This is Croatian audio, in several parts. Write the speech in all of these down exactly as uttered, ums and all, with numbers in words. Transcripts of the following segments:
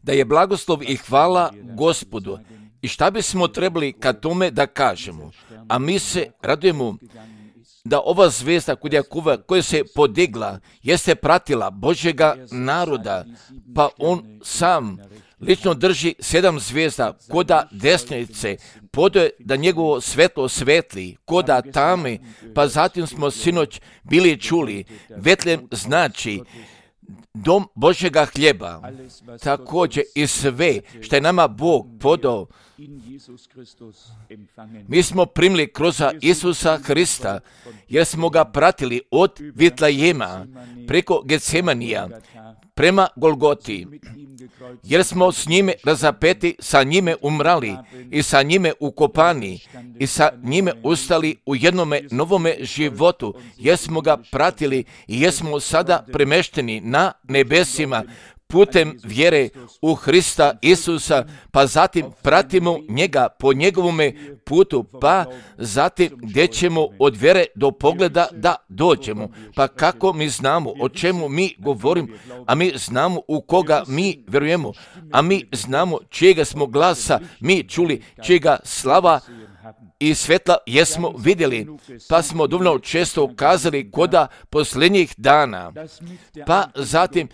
Da je blagoslov i hvala Gospodu. I šta bismo trebali kad tome da kažemo? A mi se radujemo da ova zvezda kod Jakova koja se podigla jeste pratila Božjega naroda, pa on sam lično drži sedam zvijezda koda desnice, podoje da njegovo svetlo svetli, koda tame, pa zatim smo sinoć bili čuli, Betlem znači dom Božjega hljeba, također i sve što je nama Bog podao, mi smo primili kroz Isusa Hrista, jer smo ga pratili od Vitlajema preko Getsemanija prema Golgoti, jer smo s njime razapeti, sa njime umrali i sa njime ukopani i sa njime ustali u jednome novome životu, jer smo ga pratili i jer smo sada premešteni na nebesima putem vjere u Hrista Isusa, pa zatim pratimo njega po njegovome putu, pa zatim gdje ćemo od vjere do pogleda da dođemo. Pa kako mi znamo o čemu mi govorimo, a mi znamo u koga mi vjerujemo, a mi znamo čijega smo glasa mi čuli, čijega slava i svetla jesmo vidjeli, pa smo dovoljno često kazali koda posljednjih dana, pa zatim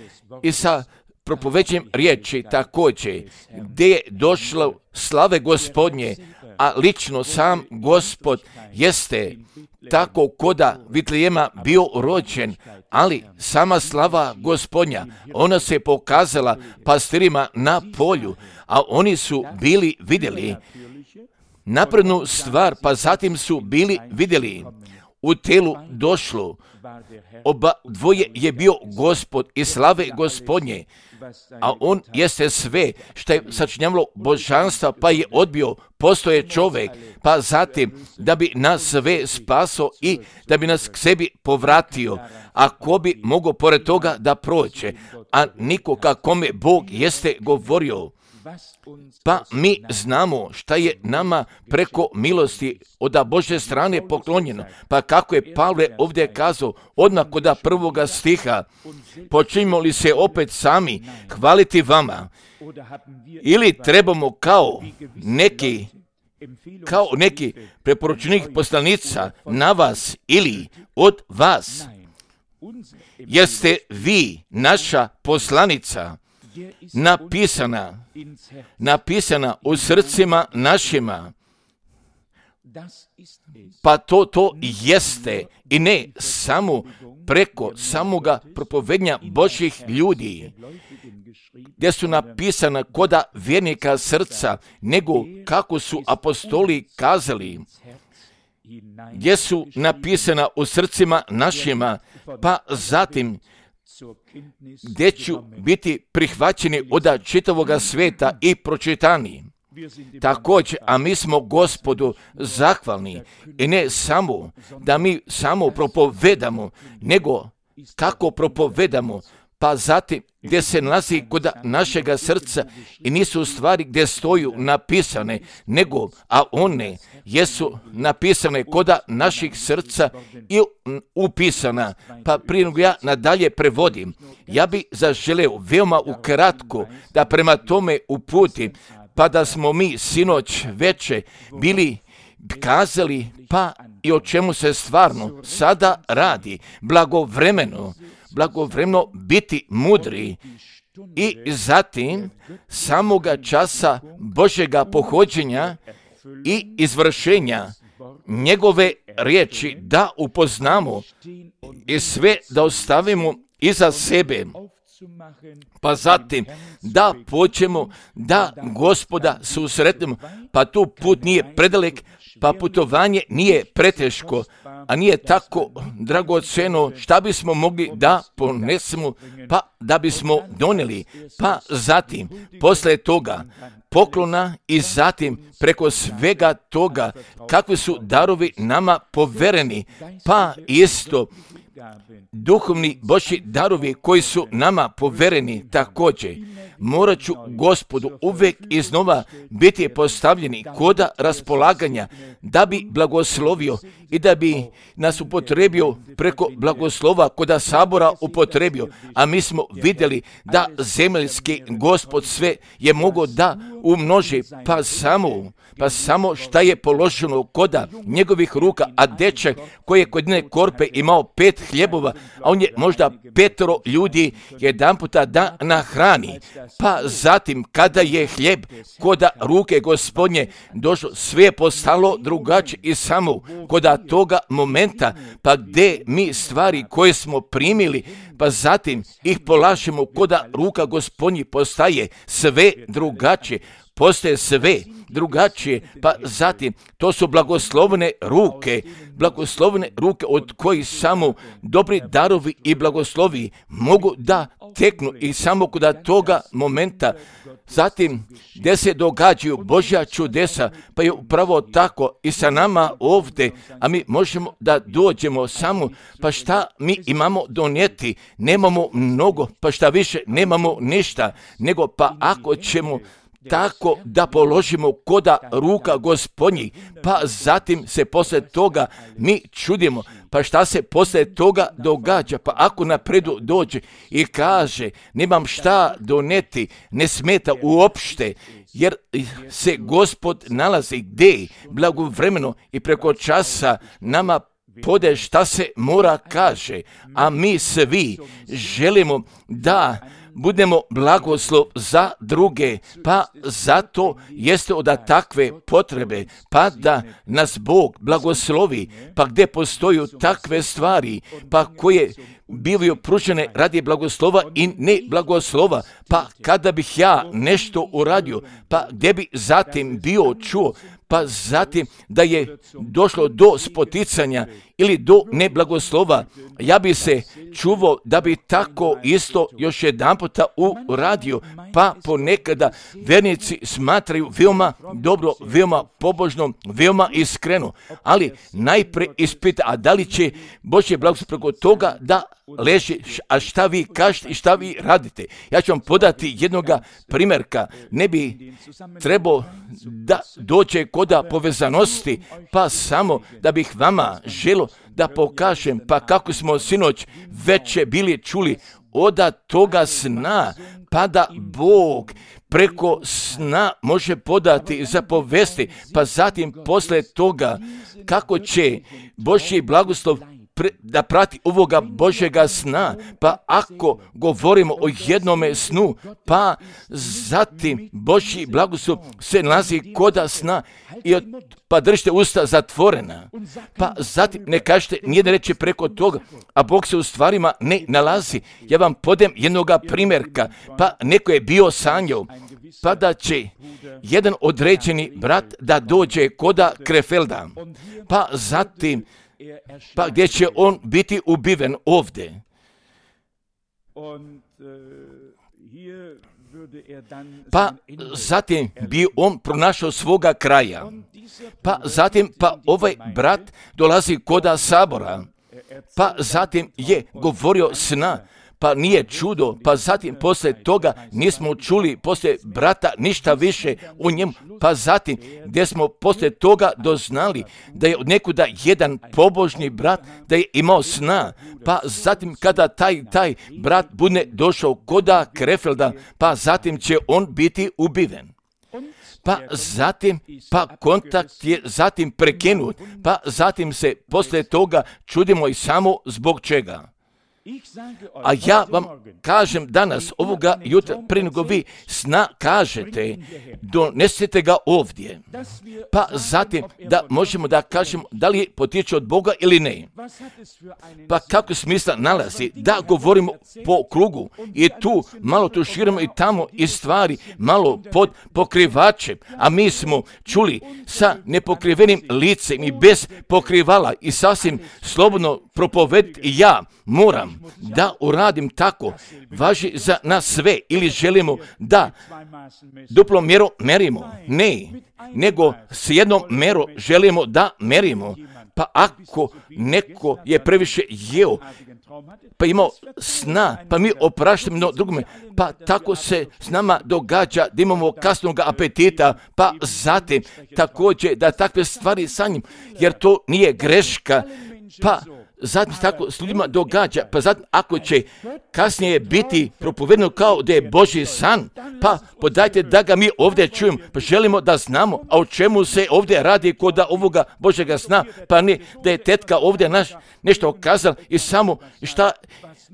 i sa propoveđenjem riječi također, gdje je došlo slave Gospodnje, a lično sam Gospod jeste tako koda Vitlejema bio rođen, ali sama slava Gospodnja, ona se pokazala pastirima na polju, a oni su bili vidjeli naprednu stvar, pa zatim su bili vidjeli u telu došlo, oba dvoje je bio Gospod i slave Gospodnje, a on jeste sve što je sačinjavalo božanstva, pa je odbio, postoje čovjek, pa zatim da bi nas sve spaso i da bi nas k sebi povratio, a ko bi mogao pored toga da prođe, a niko kakome Bog jeste govorio. Pa mi znamo šta je nama preko milosti od Božje strane poklonjeno. Pa kako je Pavle ovdje kazao, odmah kod prvoga stiha, počinjemo li se opet sami hvaliti vama, ili trebamo kao neki kao neki preporučenih poslanica na vas ili od vas, jeste vi naša poslanica, napisana, napisana u srcima našima. Pa to, to jeste i ne samo preko samoga propovednja Božjih ljudi, gdje su napisana koda vjernika srca, nego kako su apostoli kazali, gdje su napisana u srcima našima, pa zatim gdje ću biti prihvaćeni od čitavoga sveta i pročitani. Također, a mi smo Gospodu zahvalni i ne samo da mi samo propovedamo, nego kako propovedamo, pa zatim gdje se nalazi kod našega srca i nisu stvari gdje stoju napisane, nego, a one jesu napisane kod naših srca i upisana. Pa prije nego ja nadalje prevodim, ja bi zaželeo veoma ukratko da prema tome uputim, pa da smo mi sinoć veče bili kazali, pa i o čemu se stvarno sada radi, blagovremeno, blagovremeno biti mudri i zatim samoga časa Božjega pohođenja i izvršenja njegove riječi da upoznamo i sve da ostavimo iza sebe, pa zatim da počnemo da Gospoda susretnemo, pa tu put nije predalek, pa putovanje nije preteško, a nije tako dragoceno šta bismo mogli da ponesemo, pa da bismo donijeli, pa zatim posle toga poklona i zatim preko svega toga kakvi su darovi nama povereni, pa isto duhovni Božji darovi koji su nama povereni također, morat ću Gospodu uvijek iznova biti postavljeni koda raspolaganja da bi blagoslovio i da bi nas upotrebio preko blagoslova koda sabora upotrebio, a mi smo vidjeli da zemaljski Gospod sve je mogao da umnoži, pa samo pa samo šta je položeno koda njegovih ruka, a dečak koji je kod jedne korpe imao pet hljebova, a on je možda petero ljudi jedan puta da nahrani. Pa zatim kada je hljeb koda ruke Gospodnje došlo, sve je postalo drugačije i samo koda toga momenta, pa gdje mi stvari koje smo primili, pa zatim ih polažemo koda ruka Gospodnji, postaje sve drugačije. Postaje sve drugačije, pa zatim to su blagoslovene ruke, blagoslovene ruke od kojih samo dobri darovi i blagoslovi mogu da teknu i samo kod toga momenta. Zatim, gdje se događaju Božja čudesa, pa je upravo tako i sa nama ovdje, a mi možemo da dođemo samo, pa šta mi imamo donijeti? Nemamo mnogo, pa šta više, nemamo ništa, nego pa ako ćemo tako da položimo koda ruka Gospodnjih, pa zatim se poslije toga mi čudimo, pa šta se poslije toga događa, pa ako napredu dođe i kaže nemam šta doneti, ne smeta uopšte, jer se Gospod nalazi gdje blagovremeno i preko časa nama pode šta se mora kaže, a mi svi želimo da budemo blagoslov za druge, pa zato jeste od takve potrebe, pa da nas Bog blagoslovi, pa gdje postoju takve stvari, pa koje bivaju pružene radi blagoslova i ne blagoslova, pa kada bih ja nešto uradio, pa gdje bi zatim bio čuo, pa zatim da je došlo do spoticanja ili do neblagoslova, ja bi se čuvao da bi tako isto još jedan puta uradio, pa ponekada vernici smatraju veoma dobro, veoma pobožno, veoma iskreno, ali najprije ispita, a da li će Božje blagoslov preko toga da leži, a šta vi kažete i šta vi radite. Ja ću vam podati jednoga primjerka, ne bi trebao da dođe koda povezanosti, pa samo da bih vama želio da pokažem, pa kako smo sinoć već bili čuli od toga sna, pa da Bog preko sna može podati za povesti, pa zatim posle toga kako će Božji blagoslov da prati ovoga Božjega sna, pa ako govorimo o jednome snu, pa zatim Božji blagoslov se nalazi koda sna i od, pa držite usta zatvorena, pa zatim ne kažete nijedne reči preko toga, a Bog se u stvarima ne nalazi. Ja vam podem jednoga primjerka, pa neko je bio sanjao, pa da će jedan određeni brat da dođe koda Krefelda, pa zatim pa gdje će on biti ubiven ovdje. Pa zatim bi on pronašao svoga kraja. Pa zatim pa ovaj brat dolazi koda sabora. Pa zatim je govorio sna. Pa nije čudo, pa zatim poslije toga nismo čuli poslije brata ništa više o njemu, pa zatim gdje smo poslije toga doznali da je od nekuda jedan pobožni brat da je imao sna, pa zatim kada taj taj brat bude došao koda Krefelda, pa zatim će on biti ubiven. Pa zatim, pa kontakt je zatim prekinut, pa zatim se poslije toga čudimo i samo zbog čega. A ja vam kažem danas, ovoga jutra, prije nego vi sna kažete, donesete ga ovdje. Pa zatim da možemo da kažemo da li potiče od Boga ili ne. Pa kako smisla nalazi da govorimo po krugu i tu malo tuširamo i tamo i stvari malo pod pokrivačem, a mi smo čuli sa nepokrivenim licem i bez pokrivala i sasvim slobodno propovediti i ja moram da uradim tako, važi za nas sve ili želimo da duplo mjeru merimo? Ne, nego s jednom mjerom želimo da merimo. Pa ako neko je previše jeo, pa imao sna, pa mi opraštamo no drugome, pa tako se s nama događa da imamo kasnog apetita, pa zatim također da takve stvari sanjim, jer to nije greška, pa zatim tako s ljudima događa, pa zatim ako će kasnije biti propovedeno kao da je Božji san, pa podajte da ga mi ovdje čujemo, pa želimo da znamo, a o čemu se ovdje radi kod ovoga Božjega sna, pa ne da je tetka ovdje naš nešto okazala i samo šta,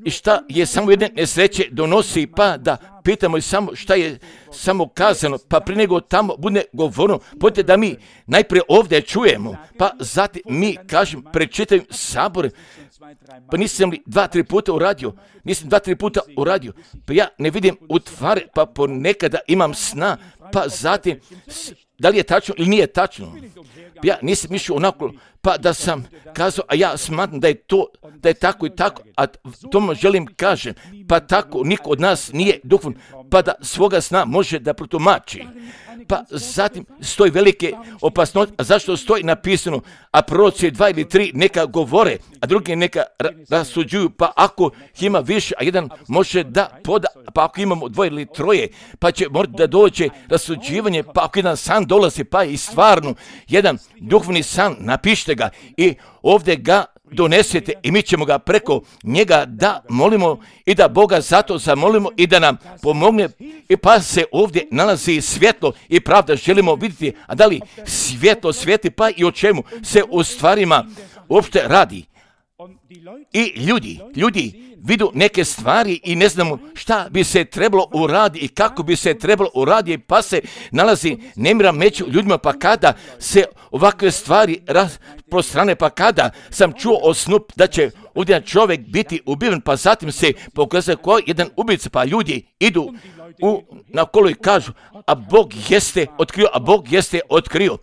i šta je samo jedne nesreće donosi, pa da pitamo i samo šta je samo kazano, pa prije nego tamo bude govorno, pojte da mi najprije ovdje čujemo, pa zatim mi kažem, prečitaju sabore, pa nisam li dva, tri puta uradio, nisam dva, tri puta uradio, pa ja ne vidim u tvari, pa ponekada imam sna, pa zatim, da li je tačno ili nije tačno, pa ja nisam mišljio onako, pa da sam kazao, a ja smatram da je to, da je tako i tako, a tomu želim kažem, pa tako niko od nas nije duhovan, pa da svoga sna može da protumači. Pa zatim stoji velike opasnosti, a zašto stoji napisano, a proroci dva ili tri neka govore, a drugi neka rasuđuju, pa ako ima više, a jedan može da poda, pa ako imamo dvoje ili troje, pa će morati da dođe rasuđivanje, pa ako jedan san dolazi, pa i stvarno jedan duhovni san, napišite ga i ovdje ga donesete i mi ćemo ga preko njega da molimo i da Boga zato zamolimo i da nam pomogne. I pa se ovdje nalazi svjetlo i pravda želimo vidjeti, a da li svjetlo svijeti, pa i o čemu se u stvarima uopšte radi. I ljudi, ljudi vidu neke stvari i ne znamo šta bi se trebalo uraditi i kako bi se trebalo uraditi, pa se nalazi nemira među ljudima, pa kada se ovakve stvari rasprostrane, pa kada sam čuo o snu da će ovdje čovjek biti ubiven, pa zatim se pokazuje ko jedan ubica, pa ljudi idu u, na kolo i kažu, a Bog jeste otkrio, a Bog jeste otkrio.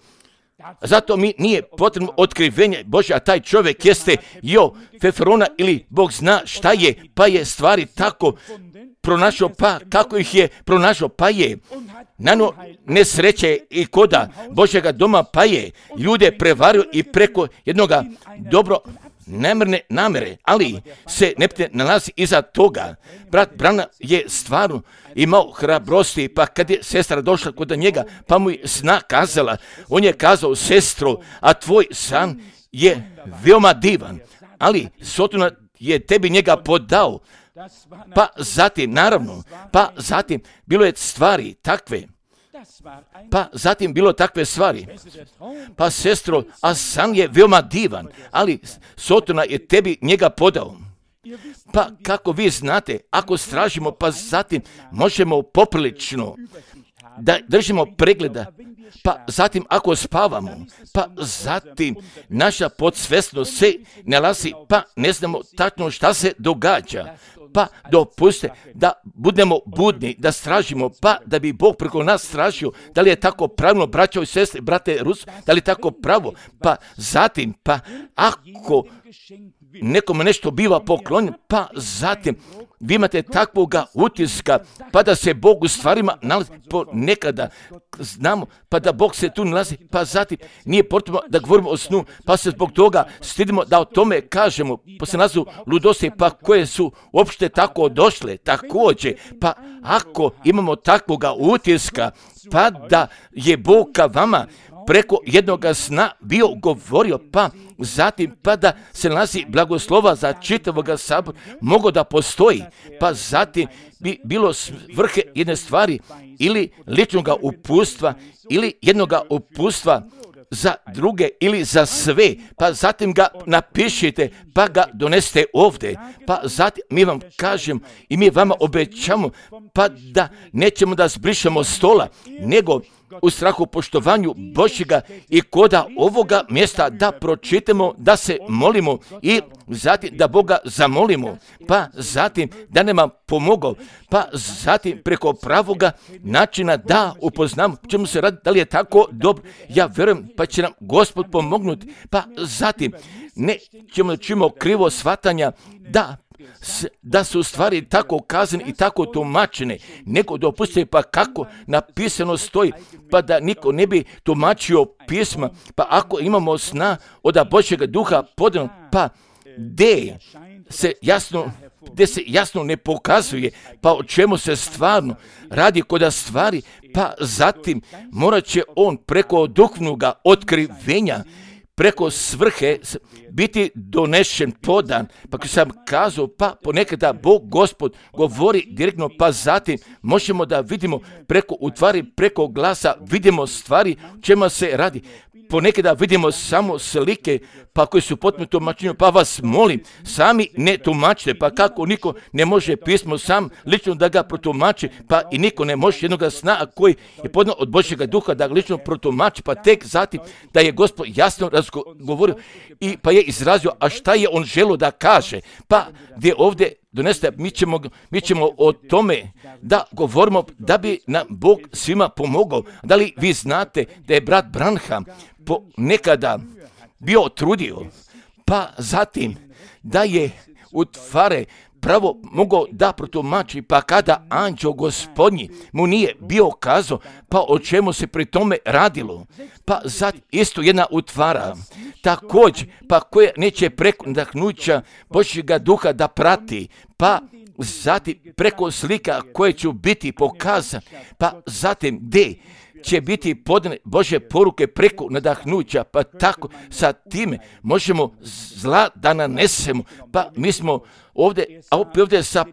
Zato mi nije potrebno otkrivenje Božje, a taj čovjek jeste Jo Feferona ili Bog zna šta je, pa je stvari tako pronašao, pa kako ih je pronašao, pa je nano nesreće i koda Božjega doma, pa je ljude prevario i preko jednoga dobro namjerne namere, ali se ne nalazi iza toga. Brat Brana je stvarno imao hrabrosti, pa kad je sestra došla kod njega, pa mu je sna kazala, on je kazao, sestro, a tvoj san je veoma divan, ali Sotona je tebi njega podao, pa zatim, naravno, pa zatim bilo je stvari takve, pa zatim bilo takve stvari. Pa sestro, a san je veoma divan, ali Sotona je tebi njega podao. Pa kako vi znate, ako stražimo, pa zatim možemo poprilično da držimo pregleda, pa zatim ako spavamo, pa zatim naša podsvjesnost se nalazi, pa ne znamo tačno šta se događa. Pa dopuste da budemo budni, da stražimo, pa da bi Bog preko nas stražio. Da li je tako pravilno, braćo i sestre, brate Rus, da li je tako pravo? Pa zatim, pa ako nekome nešto biva poklonjeno, pa zatim vi imate takvoga utiska, pa da se Bog u stvarima nalazi ponekada, znamo, pa da Bog se tu nalazi, pa zatim nije potrebno da govorimo o snu, pa se zbog toga stidimo da o tome kažemo, pa se nazu ludosti, pa koje su uopšte tako došle, također, pa ako imamo takvoga utiska, pa da je Bog ka vama preko jednoga sna bio govorio, pa zatim pa da se nalazi blagoslova za čitavoga sabora, mogo da postoji, pa zatim bi bilo svrhe jedne stvari ili ličnoga upustva ili jednoga upustva za druge ili za sve, pa zatim ga napišite, pa ga donesete ovdje, pa zatim mi vam kažem i mi vama obećamo, pa da nećemo da zbrišemo stola, nego u strahu poštovanju Božjega i koda ovoga mjesta da pročitamo, da se molimo i zatim da Boga zamolimo, pa zatim da nam pomogao, pa zatim preko pravoga načina da upoznamo čemu se radi, da li je tako dobro. Ja vjerujem pa će nam Gospod pomognuti, pa zatim nećemo da čujemo krivo shvatanja, da da su stvari tako kazane i tako tumačene, nego dopustite pa kako napisano stoji, pa da niko ne bi tumačio pisma, pa ako imamo sna od Božjega duha podano, pa gdje se jasno gdje se jasno ne pokazuje, pa o čemu se stvarno radi kod stvari, pa zatim morat će on preko duhovnoga otkrivenja, preko svrhe biti donešen, podan, pa kako sam kazao, pa ponekada Bog Gospod govori direktno, pa zatim možemo da vidimo preko utvari, preko glasa, vidimo stvari o čemu se radi. Ponekada vidimo samo slike, pa koji su potpuno tumačenju, pa vas molim, sami ne tumačite, pa kako niko ne može pismo sam lično da ga protumači, pa i niko ne može jednoga sna, a koji je podno od Božjega duha da ga lično protumači, pa tek zatim da je Gospod jasno razgovorio i pa je izrazio, a šta je on želio da kaže, pa gdje ovdje doneste, mi ćemo, mi ćemo o tome da govorimo da bi nam Bog svima pomogao. Da li vi znate da je brat Branham po nekada bio trudio, pa zatim da je u tvare pravo mogao da protumači, pa kada anđeo Gospodnji mu nije bio kazao, pa o čemu se pri tome radilo, pa zatim isto jedna utvara, također, pa koja neće preko nadahnuća Božjega duha da prati, pa zatim preko slika koje će biti pokazane, pa zatim gdje će biti podane Božje poruke preko nadahnuća, pa tako sa time možemo zla da nanesemo, pa mi smo ovdje, a opet ovdje sa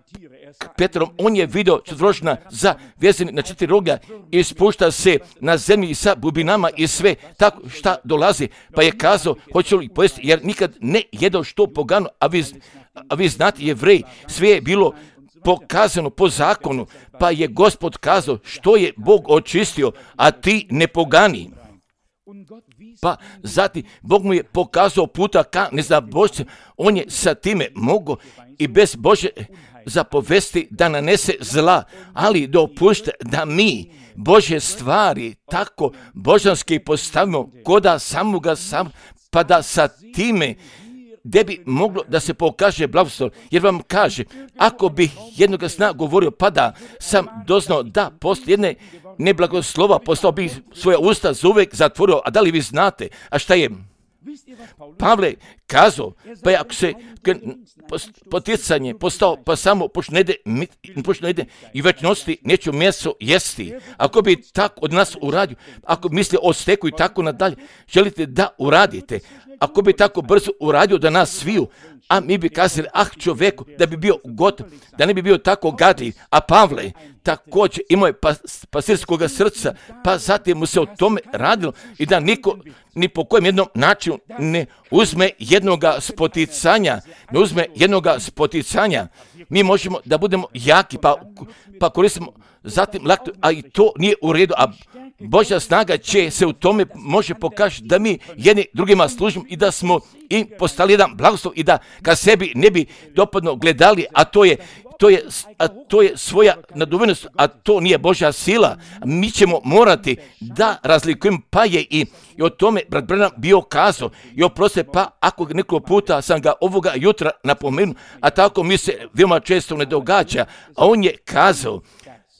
Petrom, on je vidio četvročna za vezani na četiri roga i spušta se na zemlji sa bubinama i sve tako šta dolazi, pa je kazao, hoće li pojesti, jer nikad ne jedo što pogano, a vi, a vi znate Jevreji, sve je bilo pokazano po zakonu, pa je Gospod kazao što je Bog očistio, a ti ne pogani. Pa zatim Bog mu je pokazao puta ka nezabožcem, on je sa time mogao i bez Bože zapovesti da nanese zla, ali dopušta da mi Božje stvari tako božanski postavimo koda samoga sam, pa da sa time gdje bi moglo da se pokaže blagoslov, jer vam kaže, ako bi jednoga sna govorio, pa da sam doznao da poslije jedne neblagoslova postao bi svoja usta zauvek zatvorio, a da li vi znate, a šta je Pavle kazao, pa je ako se poticanje postao, pa samo pošto ne ide i večnosti neću meso jesti. Ako bi tako od nas uradio, ako misli o steku i tako nadalje, želite da uradite, ako bi tako brzo uradio da nas sviju, a mi bi kazali, ah čoveku, da bi bio gotov, da ne bi bio tako gadljiv, a Pavle također imao je pas, pasirskoga srca, pa zatim mu se o tome radilo i da niko ni po kojem jednom načinu ne uzme jednoga spoticanja, ne uzme jednoga spoticanja. Mi možemo da budemo jaki, pa, pa koristimo zatim laktu, a i to nije u redu, a Božja snaga će se u tome može pokazati da mi jedni drugima služimo i da smo i postali jedan blagoslov i da ka sebi ne bi dopadno gledali, a to je To je, a to je svoja naduvenost, a to nije Božja sila. Mi ćemo morati da razlikujemo, pa je i, i o tome brat Branham bio kazao i oproste, pa ako nekoliko puta sam ga ovoga jutra napomenuo, a tako mi se veoma često ne događa, a on je kazao,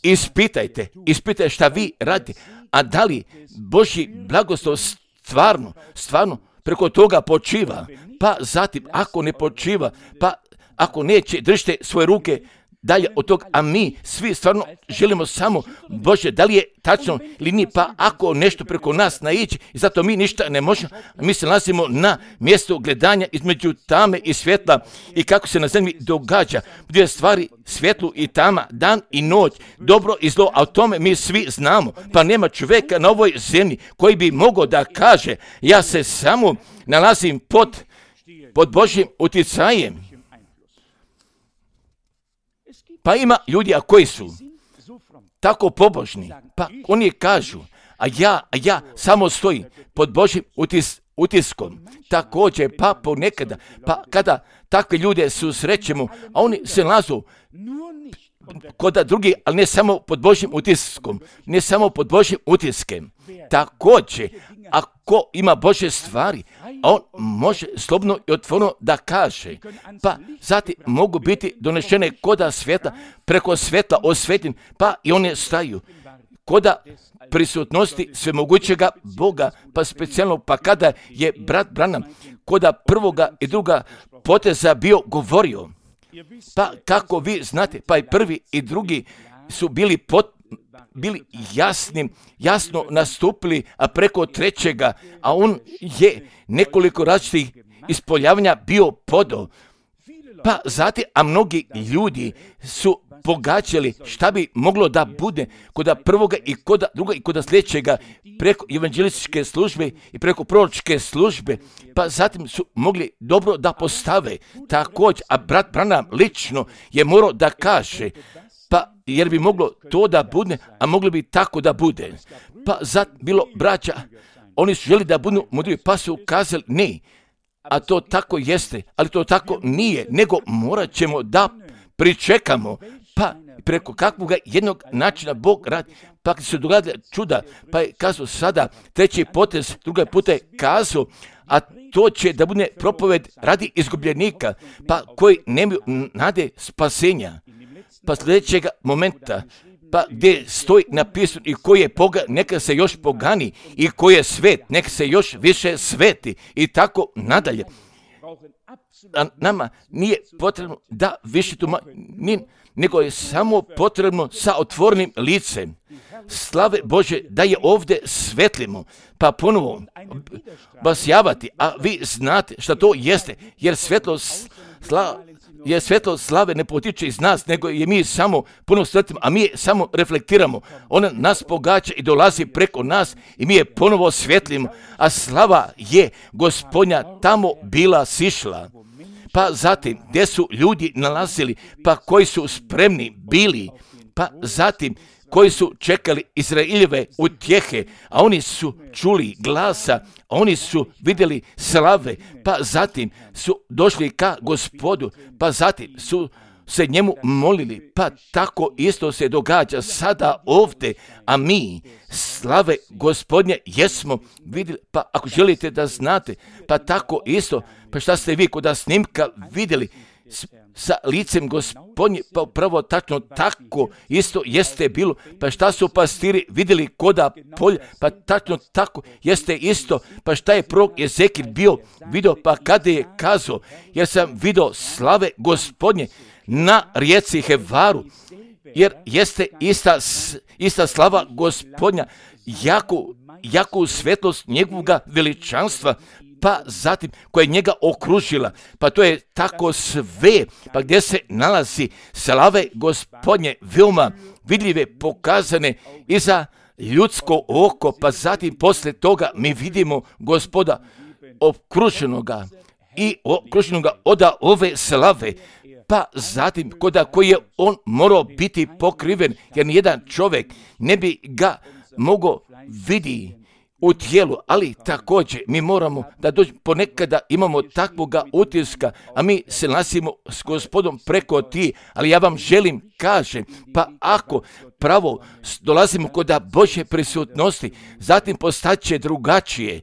ispitajte, ispitajte šta vi radite, a da li Božji blagoslov stvarno, stvarno preko toga počiva, pa zatim ako ne počiva, pa ako neće, držite svoje ruke dalje od toga, a mi svi stvarno želimo samo Bože, da li je tačno ili nije, pa ako nešto preko nas naići i zato mi ništa ne možemo, mi se nalazimo na mjestu gledanja između tame i svjetla i kako se na zemlji događa, gdje stvari svjetlu i tama, dan i noć, dobro i zlo, a o tome mi svi znamo, pa nema čovjeka na ovoj zemlji koji bi mogao da kaže, ja se samo nalazim pod, pod Božjim utjecajem. Pa ima ljudi, a koji su tako pobožni, pa oni kažu, a ja, a ja samo stojim pod Božjim utis, utiskom. Također, pa ponekada, pa kada takve ljude susrećemo, a oni se nalazu kod drugi, ali ne samo pod Božjim utiskom, ne samo pod Božjim utiskem. Također, a ko ima Božje stvari, on može slobodno i otvoreno da kaže. Pa zatim mogu biti donešene koda svjetla, preko svjetla osvetljen, pa i one staju. Koda prisutnosti svemogućega Boga, pa specijalno pa kada je brat Branham koda prvoga i druga poteza bio govorio, pa kako vi znate, pa i prvi i drugi su bili pot, bili jasnim, jasno nastupili, a preko trećega, a on je nekoliko različitih ispoljavanja bio podao. Pa zatim, a mnogi ljudi su pogađali šta bi moglo da bude koda prvoga i koda druga i koda sljedećega preko evanđelističke službe i preko proročke službe, pa zatim su mogli dobro da postave također, a brat Branham lično je morao da kaže, pa jer bi moglo to da bude, a moglo bi tako da bude. Pa zatim bilo braća, oni su želi da budu mudri, pa su kazali ne, a to tako jeste, ali to tako nije, nego morat ćemo da pričekamo, pa preko kakvog jednog načina Bog radi, pa se događa čuda, pa je kazao sada treći potez, druga puta je kazao, a to će da bude propoved radi izgubljenika, pa koji nemaju nade spasenja. Pa sljedećega momenta, pa gdje stoji napisano i koji je poga, neka se još pogani, i koji je svet, neka se još više sveti, i tako nadalje. A nama nije potrebno da više tu, nego je samo potrebno sa otvorenim licem slave Bože da je ovdje svetlimo, pa ponovo vas javati, a vi znate šta to jeste, jer svetlo slava, jer svetlo slave ne potiče iz nas, nego je mi samo puno svetlimo, a mi je samo reflektiramo. Ona nas pogađa i dolazi preko nas i mi je ponovo svetlimo, a slava je Gospodnja tamo bila sišla. Pa zatim, gdje su ljudi nalazili, pa koji su spremni bili, pa zatim, koji su čekali Izraeljeve utjehe, a oni su čuli glasa, a oni su vidjeli slave, pa zatim su došli ka Gospodu, pa zatim su se njemu molili, pa tako isto se događa sada ovdje, a mi slave Gospodnje jesmo vidjeli, pa ako želite da znate, pa tako isto, pa šta ste vi kod snimka vidjeli, sa licem Gospodnje, pa upravo tačno tako isto jeste bilo, pa šta su pastiri vidjeli koda polja, pa tačno tako jeste isto, pa šta je prorok Ezekil bio vidio, pa kada je kazao, jer sam vidio slave Gospodnje na rijeci Hevaru, jer jeste ista, ista slava Gospodnja, jaku, jaku svetlost njegovoga veličanstva, pa zatim koja je njega okružila, pa to je tako sve, pa gdje se nalazi slave Gospodnje veoma vidljive, pokazane i za ljudsko oko, pa zatim posle toga mi vidimo Gospoda okruženoga i okruženoga od ove slave, pa zatim koda koji je on morao biti pokriven, jer nijedan čovjek ne bi ga mogao vidjeti u tijelu, ali također mi moramo da dođemo, ponekada imamo takvoga utiska, a mi se nalazimo s Gospodom preko ti, ali ja vam želim kažem, pa ako pravo dolazimo kod Božje prisutnosti, zatim postaće drugačije,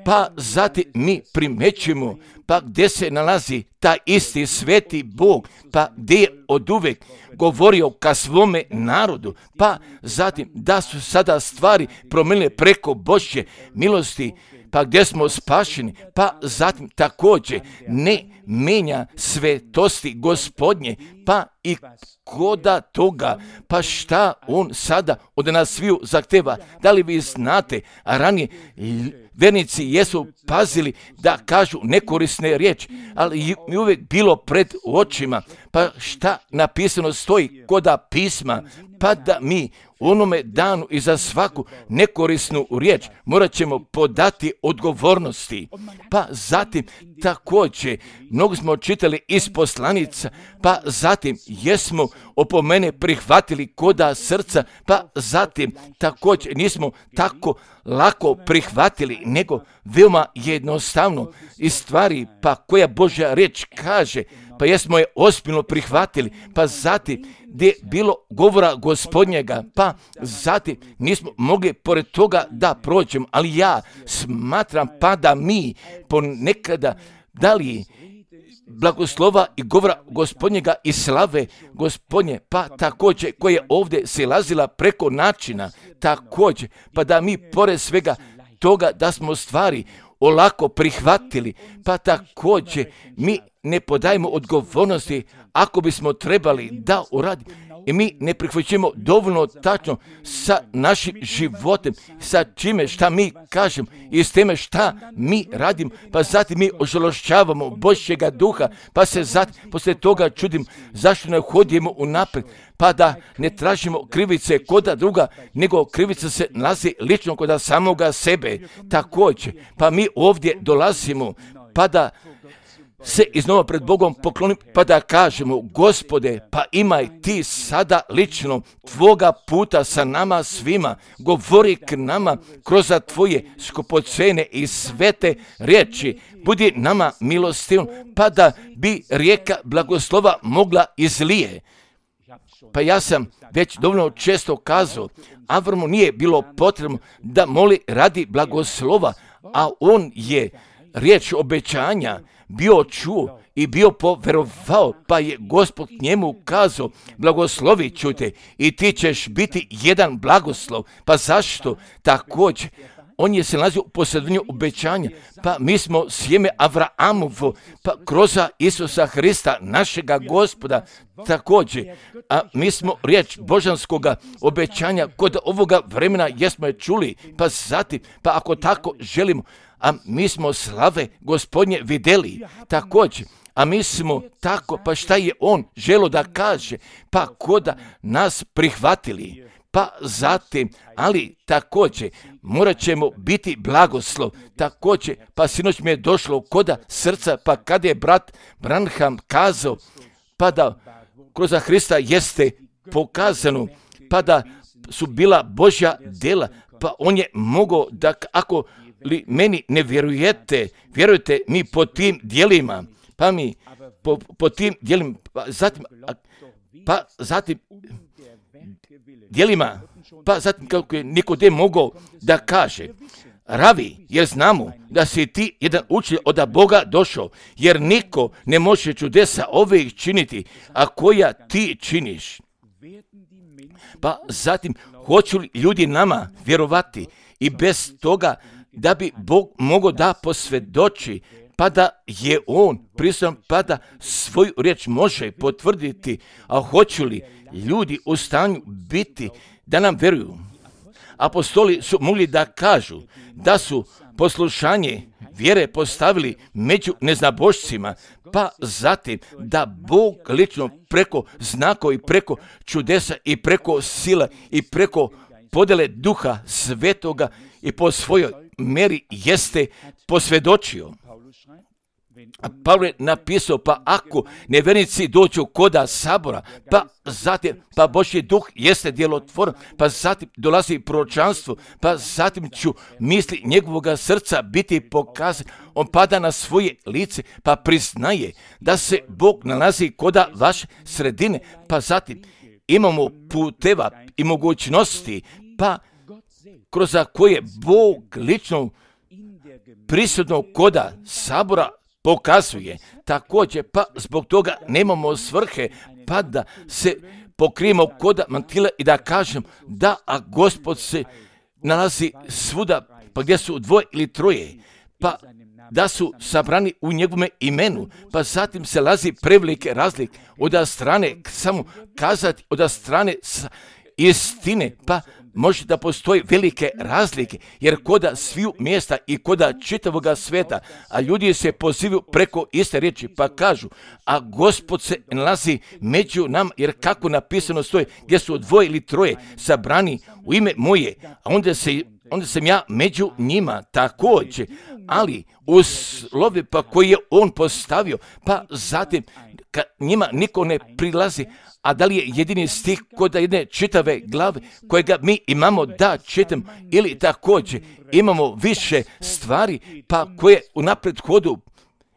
pa zatim mi primećujemo, pa gdje se nalazi ta isti sveti Bog, pa gdje je oduvek govorio ka svome narodu, pa zatim da su sada stvari promijenile preko Božje milosti, pa gdje smo spašeni, pa zatim također ne menja svetosti Gospodnje, pa i koda toga, pa šta on sada od nas sviju zahteva. Da li vi znate, a ranije vernici jesu pazili da kažu nekorisne riječi, ali mi uvijek bilo pred očima, pa šta napisano stoji koda pisma, pa da mi u onome danu i za svaku nekorisnu riječ morat ćemo podati odgovornosti. Pa zatim također, mnogo smo čitali iz poslanica, pa zatim jesmo opomene prihvatili koda srca, pa zatim također nismo tako lako prihvatili, nego veoma jednostavno i stvari, pa koja Božja riječ kaže, pa jesmo je ozbiljno prihvatili, pa zatim gdje je bilo govora Gospodnjega, pa zatim nismo mogli pored toga da prođemo, ali ja smatram pa da mi ponekada dali blagoslova i govora Gospodnjega i slave Gospodnje, pa također koja je ovdje silazila preko načina, također, pa da mi pored svega toga da smo stvari olako prihvatili, pa također mi ne podajemo odgovornosti ako bismo trebali da uradimo. I mi ne prihvaćamo dovoljno tačno sa našim životem, sa čime šta mi kažemo i s teme šta mi radimo, pa zatim mi ožalošćavamo Božjega duha, pa se zatim poslije toga čudim zašto ne hodimo unaprijed, pa da ne tražimo krivice koda druga, nego krivica se nalazi lično koda samoga sebe. Također, pa mi ovdje dolazimo, pa da se iznova pred Bogom poklonimo, pa da kažemo, Gospode, pa imaj ti sada lično tvoga puta sa nama svima, govori k nama kroz tvoje skupocene i svete riječi, budi nama milostivom, pa da bi rijeka blagoslova mogla izlije. Pa ja sam već dovoljno često kazao, Avramu nije bilo potrebno da moli radi blagoslova, a on je riječ obećanja bio čuo i bio poverovao, pa je Gospod njemu kazao, blagoslovit ću te i ti ćeš biti jedan blagoslov. Pa zašto? Također, on je se nalazio u posredovanju obećanja, pa mi smo sjeme Avraamovo, pa kroz Isusa Hrista, našega Gospoda, također, a mi smo riječ božanskoga obećanja kod ovoga vremena jesmo je čuli, pa zatim, pa ako tako želimo, a mi smo slave Gospodnje vidjeli, također, a mi smo tako, pa šta je on želo da kaže, pa koda nas prihvatili, pa zatim, ali također, morat ćemo biti blagoslov, također, pa sinoć mi je došlo koda srca, pa kada je brat Branham kazao, pa da kroz Hrista jeste pokazano, pa da su bila Božja djela, pa on je mogao da ako li meni ne vjerujete, vjerujete mi po tim djelima, pa mi po, po tim djelima, pa zatim, pa zatim djelima, pa zatim kako je Nikodem mogao da kaže, Ravi, jer znamo da si ti jedan učitelj od Boga došao, jer niko ne može čudesa ovih činiti, a koja ti činiš. Pa zatim, hoću li ljudi nama vjerovati i bez toga da bi Bog mogao da posvjedoči, pa da je on prisutan, pa da svoju riječ može potvrditi, a hoću li ljudi u stanju biti da nam vjeruju. Apostoli su mogli da kažu da su poslušanje vjere postavili među neznabošcima, pa zatim da Bog lično preko znakova i preko čudesa i preko sila i preko podjele Duha Svetoga i po svojoj meri jeste posvjedočio. A Pavle je napisao, pa ako nevjernici dođu koda sabora, pa zatim, pa Božji duh jeste djelotvoran, pa zatim dolazi proročanstvo, pa zatim ću misli njegovoga srca biti pokazan, on pada na svoje lice, pa priznaje da se Bog nalazi koda vaše sredine, pa zatim imamo puteva i mogućnosti, pa kroz koje Bog lično prisutno koda sabora pokazuje. Također, pa zbog toga nemamo svrhe, pa da se pokrijemo koda mantila i da kažem da, a Gospod se nalazi svuda, pa gdje su dvoje ili troje, pa da su sabrani u njegovome imenu, pa zatim se lazi prevelike razlike od strane samo kazati, od strane istine, pa može da postoji velike razlike, jer koda sviju mjesta i koda čitavoga sveta, a ljudi se pozivaju preko iste riječi, pa kažu, a Gospod se nalazi među nam, jer kako napisano stoji, gdje su dvoje ili troje sabrani u ime moje, a onda, se, onda sam ja među njima također, ali u slovi pa koji je on postavio, pa zatim ka njima niko ne prilazi, a da li je jedini stih kod jedne čitave glave kojega mi imamo da čitam, ili također imamo više stvari pa koje u napred hodu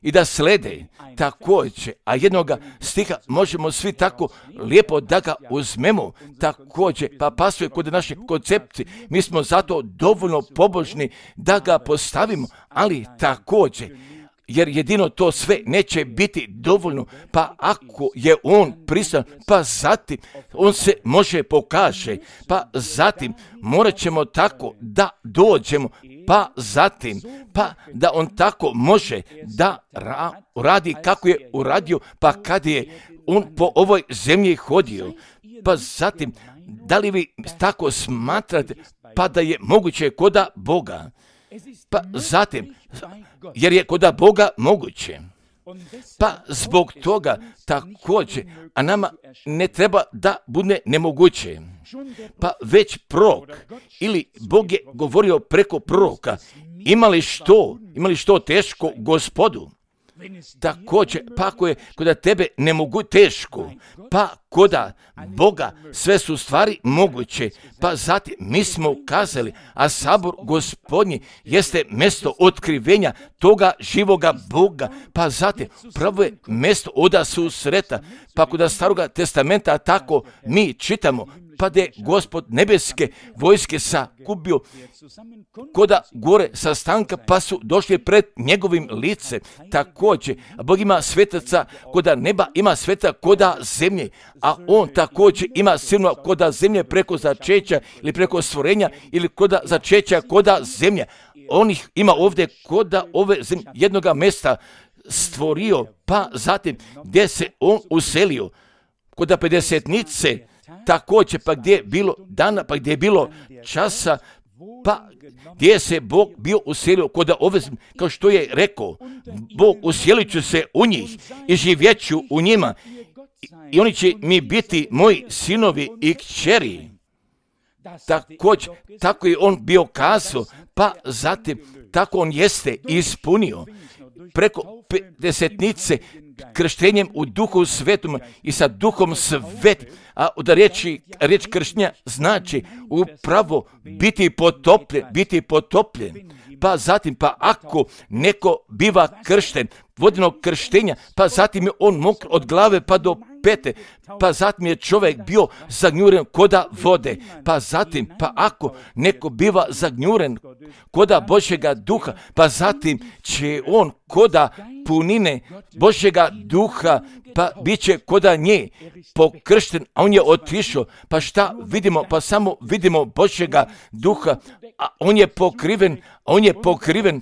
i da slede također, a jednoga stiha možemo svi tako lijepo da ga uzmemo također, pa pasuje kod naše koncepcije, mi smo zato dovoljno pobožni da ga postavimo, ali također, jer jedino to sve neće biti dovoljno, pa ako je on prisutan, pa zatim on se može pokaže, pa zatim morat ćemo tako da dođemo, pa zatim, pa da on tako može da ra- radi kako je uradio, pa kad je on po ovoj zemlji hodio, pa zatim, da li vi tako smatrate, pa da je moguće koda Boga? Pa zatim, jer je koda Boga moguće. Pa zbog toga također, a nama ne treba da bude nemoguće. Pa već prorok, ili Bog je govorio preko proroka, imali što, imali što teško Gospodu? Također, pa ako je koda tebe ne mogu teško, pa koda Boga sve su stvari moguće, pa zatim mi smo kazali, a sabor Gospodnji jeste mjesto otkrivenja toga živoga Boga, pa zatim pravo je mjesto oda susreta, pa koda Staroga testamenta tako mi čitamo, pa da je Gospod nebeske vojske sakupio koda gore sastanka, pa su došli pred njegovim licem. Također, Bog ima svetaca koda neba, ima sveta koda zemlje, a on također ima silno koda zemlje preko začeća ili preko stvorenja ili koda začeća koda zemlje. On ih ima ovdje koda ove zemlje, jednoga mjesta stvorio, pa zatim gdje se on uselio, koda pedesetnice, također, pa gdje je bilo dana, pa gdje je bilo časa, pa gdje se Bog bio uselio kod ove, kao što je rekao, Bog uselit ću se u njih i živjet ću u njima i oni će mi biti moji sinovi i kćeri. Također, tako je on bio kazao, pa zatim tako on jeste ispunio preko pedesetnice krštenjem u duhu svetom i sa duhom svet, a da riječi, riječ krštenja znači upravo biti potopljen, biti potopljen. Pa zatim, pa ako neko biva kršten, vodenog krštenja, pa zatim je on mokr od glave pa do pete, pa zatim je čovjek bio zagnjuren koda vode, pa zatim, pa ako neko biva zagnjuren koda Božjega duha, pa zatim će on koda punine Božjega duha, pa bit će koda nje pokršten, a on je otišao, pa šta vidimo, pa samo vidimo Božjega duha, a on je pokriven, a on je pokriven,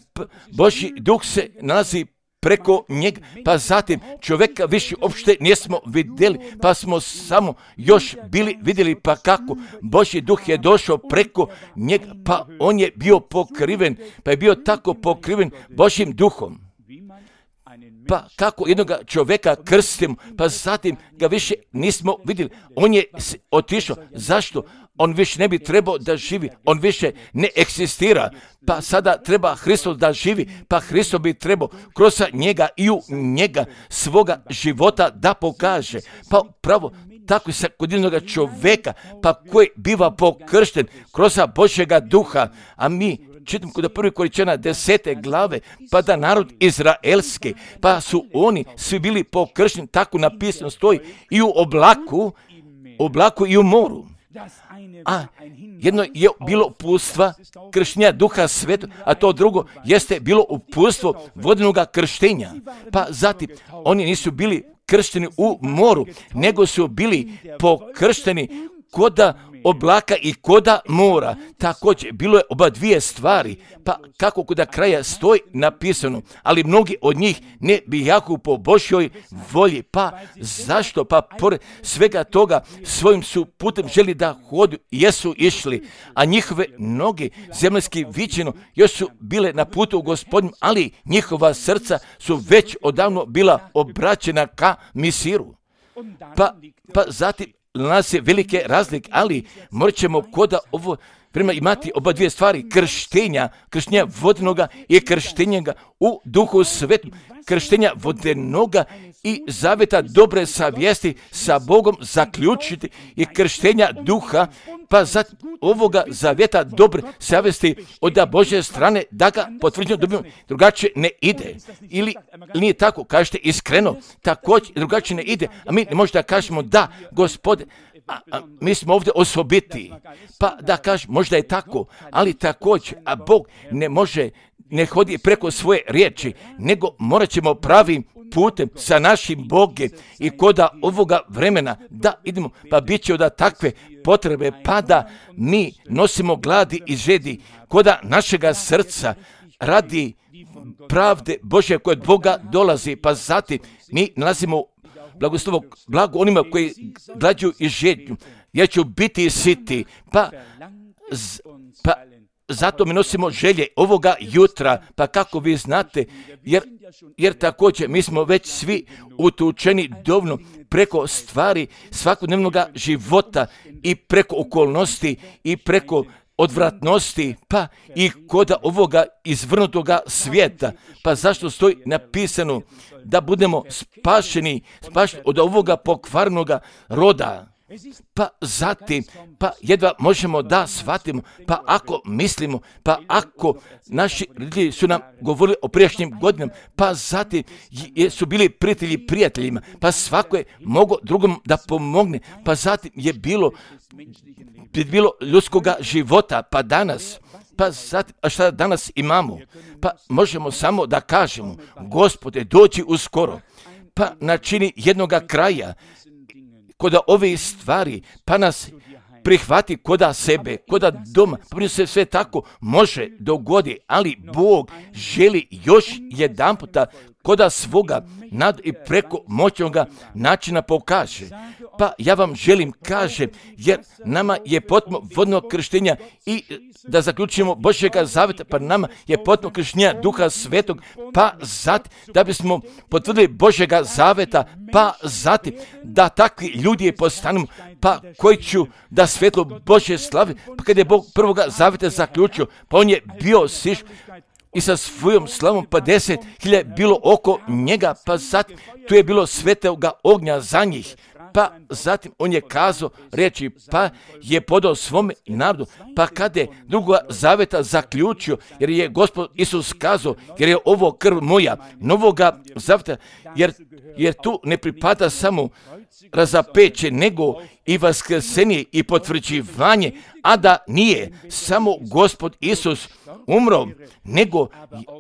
Božji duh se nalazi preko njega, pa zatim čovjeka više uopšte nismo vidjeli, pa smo samo još bili vidjeli pa kako Božji duh je došao preko njega, pa on je bio pokriven, pa je bio tako pokriven Božjim duhom. Pa kako jednoga čovjeka krstimo, pa zatim ga više nismo vidjeli, on je otišao. Zašto? On više ne bi trebao da živi, on više ne eksistira, pa sada treba Hristos da živi, pa Hristos bi trebao kroz njega i u njega svoga života da pokaže. Pa pravo, tako se kod jednoga čovjeka, pa koji biva pokršten kroz Božjega duha, a mi čitam kod prvi Korinčana desete glave, pa da narod izraelski, pa su oni svi bili pokršteni, tako napisano stoji, i u oblaku, oblaku i u moru. A jedno je bilo uputstva krštenja duha svetog, a to drugo jeste bilo uputstvo vodenoga krštenja. Pa zatim, oni nisu bili kršteni u moru, nego su bili pokršteni koda oblaka i koda mora. Također, bilo je oba dvije stvari, pa kako koda kraja stoji napisano, ali mnogi od njih ne bijahu po Božjoj volji. Pa zašto? Pa pored svega toga svojim su putem želi da hodu, jesu išli, a njihove noge zemaljski viđeno još su bile na putu u Gospodnjem, ali njihova srca su već odavno bila obraćena ka Misiru. Pa, pa zatim nas je velike razlike, ali morat ćemo koda ovo Vrema imati oba dvije stvari, krštenja, krštenja vodenoga i krštenja u Duhu Svetom, krštenja vodenoga i zaveta dobre savjesti sa Bogom zaključiti i krštenja duha, pa za ovoga zavjeta dobre savjesti od Božje strane da ga potvrđeno dobijemo, drugačije ne ide. Ili nije tako, kažete iskreno, također drugačije ne ide, a mi ne možemo da kažemo da, Gospode, A, a, mi smo ovdje osobiti, pa da kažem, možda je tako, ali također, a Bog ne može, ne hodi preko svoje riječi, nego morat ćemo pravim putem sa našim Bogom i koda ovoga vremena da idemo, pa bit će da takve potrebe, pa da mi nosimo gladi i žedi, koda našega srca radi pravde Božje koje od Boga dolazi, pa zatim mi nalazimo blagoslovo, blago onima koji glađuju i žednju, jer ću biti siti, pa, z, pa zato mi nosimo želje ovoga jutra, pa kako vi znate, jer, jer također mi smo već svi utučeni dovoljno preko stvari svakodnevnog života i preko okolnosti i preko odvratnosti, pa i koda ovoga izvrnutoga svijeta. Pa zašto stoji napisano da budemo spašeni, spašeni od ovoga pokvarnoga roda? Pa zatim, pa jedva možemo da shvatimo, pa ako mislimo, pa ako naši roditelji su nam govorili o prijašnjim godinama, pa zatim su bili prijatelji prijateljima, pa svako je mogao drugom da pomogne, pa zatim je bilo, je bilo ljudskoga života, pa danas, pa zatim, a šta danas imamo? Pa možemo samo da kažemo, Gospode, dođi uskoro, pa načini jednoga kraja, koda ove stvari, pa nas prihvati koda sebe, koda doma, pa se sve tako može dogodi, ali Bog želi još jedan puta koda svoga nad i preko moćnoga načina pokaže. Pa ja vam želim kažem, jer nama je potpuno vodno krštenja i da zaključimo Božjega zaveta, pa nama je potpuno krštenja Duha Svetog, pa zatim da bismo potvrdili Božjega zaveta, pa zatim da takvi ljudi postanemo, pa koji ću da svetlo Božje slave, pa kad je Bog prvoga zaveta zaključio, pa on je bio siš i sa svojom slavom pa deset hiljada bilo oko njega, pa zatim tu je bilo svetoga ognja za njih. Pa zatim on je kazao reći, pa je podao svome narodu, pa kada je drugoga zaveta zaključio, jer je Gospod Isus kazao, jer je ovo krv moja, novoga zaveta, jer, jer tu ne pripada samo razapeće, nego i vaskrsenje i potvrđivanje, a da nije samo Gospod Isus umro, nego,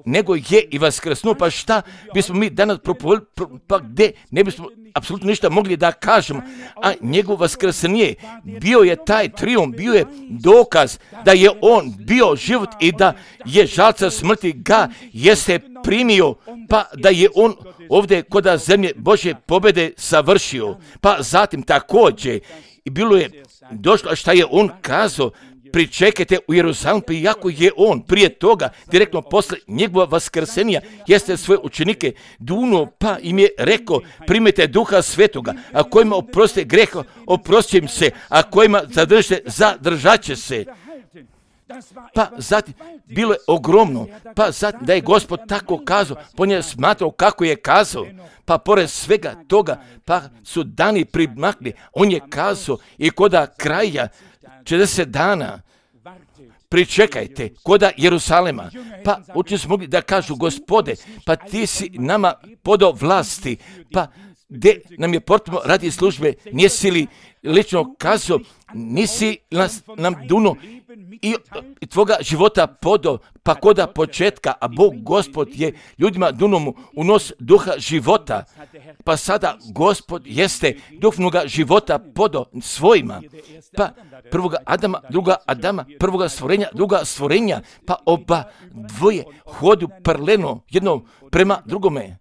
nego je i vaskrsnuo, pa šta bismo mi danas propovedali, pa gdje ne bismo apsolutno ništa mogli da kažemo, a njegov vaskrsenje bio je taj triumf, bio je dokaz da je on bio život i da je žalca smrti ga jeste primio, pa da je on ovdje koda zemlje Božje pobjede savršio. Pa zatim također i bilo je došlo, a šta je on kazao, pričekajte u Jeruzalemu, pa iako je on prije toga, direktno posle njegova vaskrsenja, jeste svoje učenike dunuo, pa im je rekao, primite Duha Svetoga, a kojima oprostite greha, oprostit im se, a kojima zadržite, zadržat će se. Pa zatim, bilo je ogromno, pa zatim da je Gospod tako kazao, po njoj smatrao kako je kazao, pa pored svega toga, pa su dani primakli, on je kazao i koda kraja četrdeset dana, pričekajte, koda Jeruzalema, pa učenici su mogli da kažu, Gospode, pa ti si nama podao vlasti, pa gdje nam je potrebno radi službe, nisi li lično kazao, nisi nas, nam duno i, i tvoga života podao, pa koda početka, a Bog Gospod je ljudima dunom unos duha života, pa sada Gospod jeste duhovnoga života podao svojima, pa prvoga Adama, druga Adama, prvoga stvorenja, druga stvorenja, pa oba dvoje hodu paralelno jedno prema drugome.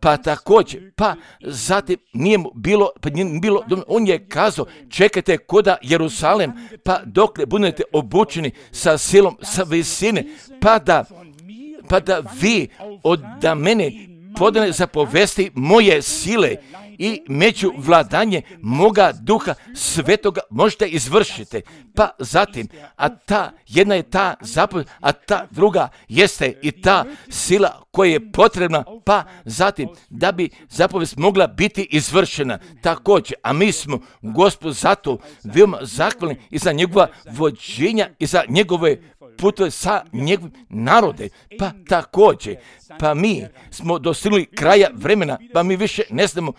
Pa također, pa zatim nije mu bilo, pa nije bilo, on je kazao, čekajte koda Jeruzalem, pa dokle budete obučeni sa silom, sa visine, pa da, pa da vi od da mene podane zapovesti moje sile i među vladanje moga duha svetoga možete izvršiti. Pa zatim, a ta jedna je ta zapovjed, a ta druga jeste i ta sila koja je potrebna, pa zatim da bi zapovjed mogla biti izvršena također. A mi smo Gospodu zato veoma zahvalni i za njegova vođenja i za njegove putove sa njegovim narode. Pa također, pa mi smo dostignuli kraja vremena, pa mi više ne znamo,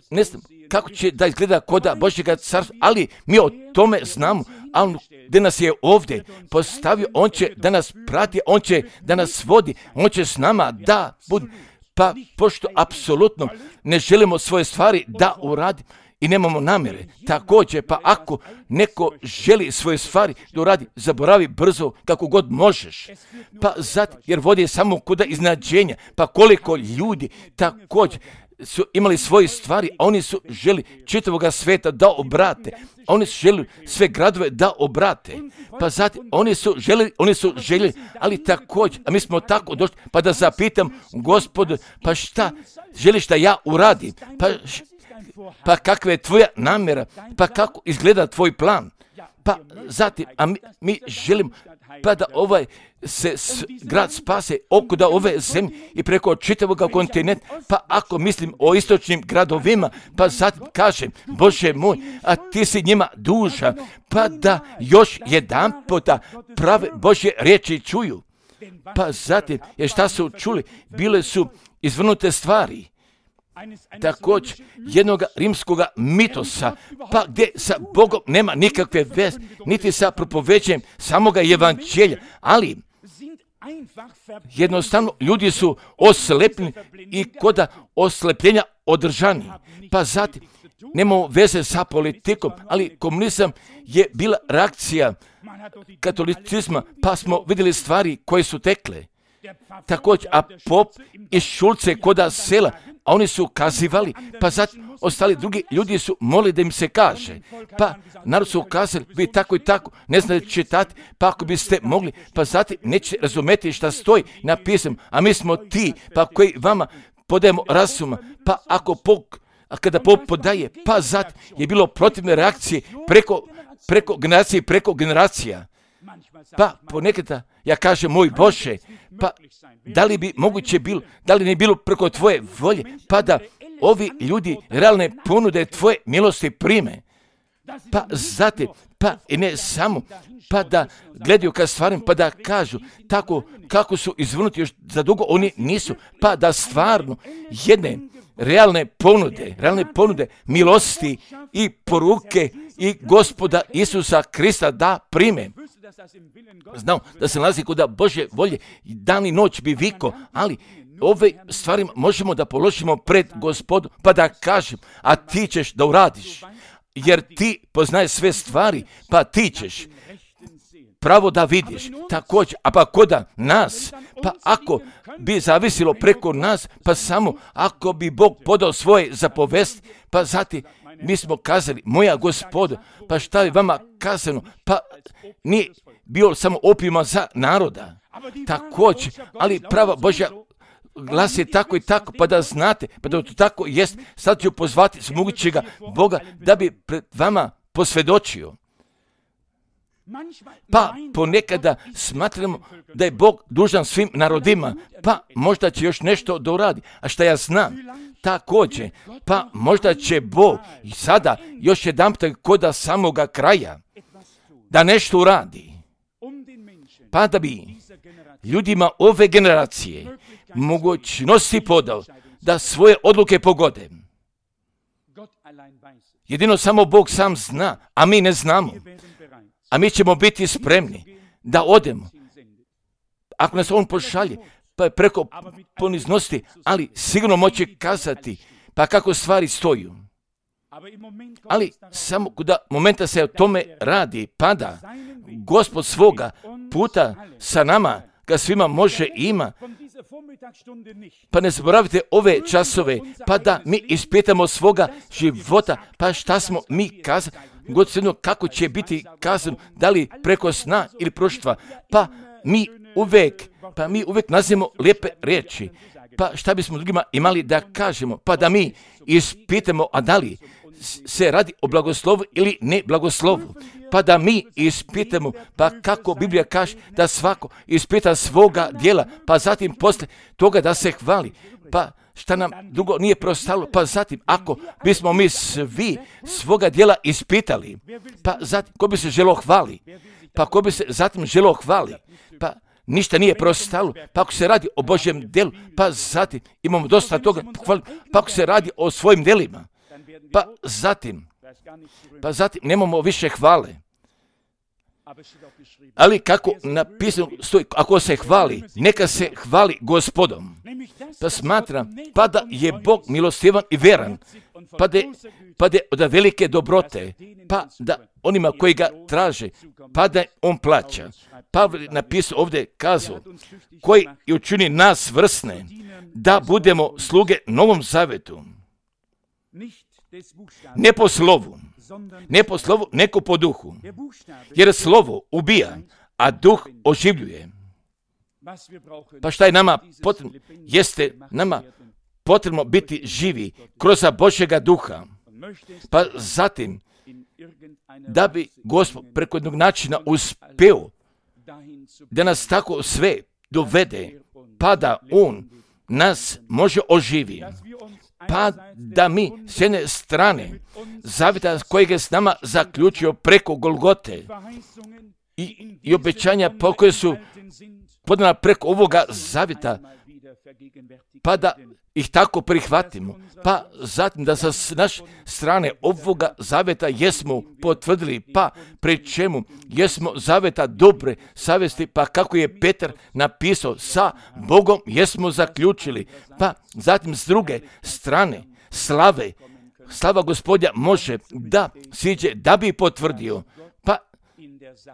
ne znamo kako će da izgleda koda Božjega carstva, ali mi o tome znamo, a on gdje nas je ovdje postavio, on će da nas prati, on će da nas vodi, on će s nama da bude. Pa pošto apsolutno ne želimo svoje stvari da uradi i nemamo namjere, također, pa ako neko želi svoje stvari da uradi, zaboravi brzo kako god možeš. Pa zato, jer vodi samo kuda iznadženja, pa koliko ljudi također su imali svoje stvari, a oni su želi čitavoga sveta da obrate. Oni su želi sve gradove da obrate. Pa zatim, oni su želi, oni su željeli, ali također, a mi smo tako došli, pa da zapitam, Gospodu, pa šta želiš da ja uradim? Pa, pa kakva je tvoja namjera? Pa kako izgleda tvoj plan? Pa zatim, a mi, mi želimo pa da ovaj se s, grad spase oko da ove zemlje i preko čitavog kontinenta, pa ako mislim o istočnim gradovima, pa zatim kažem, Bože moj, a ti si njima dužan, pa da još jedan puta prave Božje riječi čuju. Pa zatim, jer šta su čuli, bile su izvrnute stvari. Također jednog rimskog mitosa, pa gdje sa Bogom nema nikakve veze, niti sa propoveđenjem samoga evanđelja, ali jednostavno ljudi su oslepljeni i koda oslepljenja održani. Pa zatim, nemamo veze sa politikom, ali komunizam je bila reakcija katolicizma, pa smo vidjeli stvari koje su tekle. Također, a pop iz Šulce koda sela, a oni su kazivali, pa zatim ostali drugi ljudi su molili da im se kaže. Pa narod su kazali, vi tako i tako ne znate čitati, pa ako biste mogli, pa zatim nećete razumjeti šta stoji napisano, a mi smo ti, pa koji vama podajemo razuma, pa ako Bog, a kada Bog podaje, pa zatim je bilo protivne reakcije preko, preko generacije, preko generacija. Pa ponekada ja kažem, moj Bože, pa da li bi moguće bilo, da li ne bilo preko tvoje volje, pa da ovi ljudi realne ponude tvoje milosti prime. Pa zatim, pa i ne samo, pa da gledaju ka stvarima, pa da kažu tako kako su izvrnuti još za dugo, oni nisu, pa da stvarno jedne realne ponude, realne ponude milosti i poruke i Gospoda Isusa Krista da prime. Znao da se nalazi kod Božje volje, dan i noć bi viko, ali ove stvari možemo da položimo pred Gospodu, pa da kažem, a ti ćeš da uradiš, jer ti poznaješ sve stvari, pa ti ćeš pravo da vidiš. Također, a pa koda nas, pa ako bi zavisilo preko nas, pa samo ako bi Bog podao svoje zapovesti, pa zatim mi smo kazali, moja Gospodo, pa šta je vama kazano, pa nije bio samo opima za naroda. Također, ali prava Božja glas je tako i tako, pa da znate, pa da to tako jest, sad ću pozvati smogućega Boga da bi pred vama posvjedočio. Pa ponekada smatramo da je Bog dužan svim narodima, pa možda će još nešto da uradi, a šta ja znam, također, pa možda će Bog i sada još jedan puta koda samoga kraja da nešto uradi, pa da bi ljudima ove generacije mogućnosti podao da svoje odluke pogode. Jedino samo Bog sam zna, a mi ne znamo. A mi ćemo biti spremni da odemo. Ako nas on pošalje, pa je preko poniznosti, ali sigurno moće kazati pa kako stvari stoju. Ali samo kuda momenta se o tome radi, pada Gospod svoga puta sa nama, ga svima može i ima. Pa ne zaboravite ove časove, pa da mi ispitamo svoga života, pa šta smo mi kazali, Gospodino, kako će biti kazano, da li preko sna ili proštva, pa mi uvek, pa mi uvek nazivamo lijepe riječi, Pa šta bismo drugima imali da kažemo? Pa da mi ispitamo, a da li se radi o blagoslovu ili ne blagoslovu. Pa da mi ispitamo, pa kako Biblija kaže da svako ispita svoga djela, pa zatim posle toga da se hvali. Pa šta nam drugo nije preostalo? Pa zatim, ako bismo mi svi svoga djela ispitali, pa zatim, ko bi se želeo hvali? Pa ko bi se zatim želeo hvali? Pa ništa nije preostalo. Pa ako se radi o Božjem djelu, pa zatim imamo dosta toga hvali. Pa ako se radi o svojim djelima, pa zatim, pa zatim nemamo više hvale. Ali kako napisano stoji, ako se hvali, neka se hvali Gospodom. Pa smatram, pa da je Bog milostivan i veran, pa da, pa da od velike dobrote, pa da onima koji ga traže, pa da on plaća. Pavle napisao ovdje, kazao, koji je učini nas vrsne, da budemo sluge Novom Zavetu. Ne po slovu, ne po slovu, neko po duhu. Jer slovo ubija, a duh oživljuje. Pa šta je nama potrebno? Jeste nama potrebno biti živi kroz Božjega duha. Pa zatim, da bi Gospod preko jednog načina uspeo da nas tako sve dovede, pa da On nas može oživi. Pa da mi s jedne strane zavjeta kojeg je s nama zaključio preko Golgote i, i obećanja po koje su podana preko ovoga zavjeta, pa da ih tako prihvatimo, pa zatim da sa naše strane ovoga zavjeta jesmo potvrdili, pa pri čemu jesmo zavjeta dobre savjesti, pa kako je Petar napisao, sa Bogom jesmo zaključili, pa zatim s druge strane slave, slava Gospodja može da siđe da bi potvrdio, pa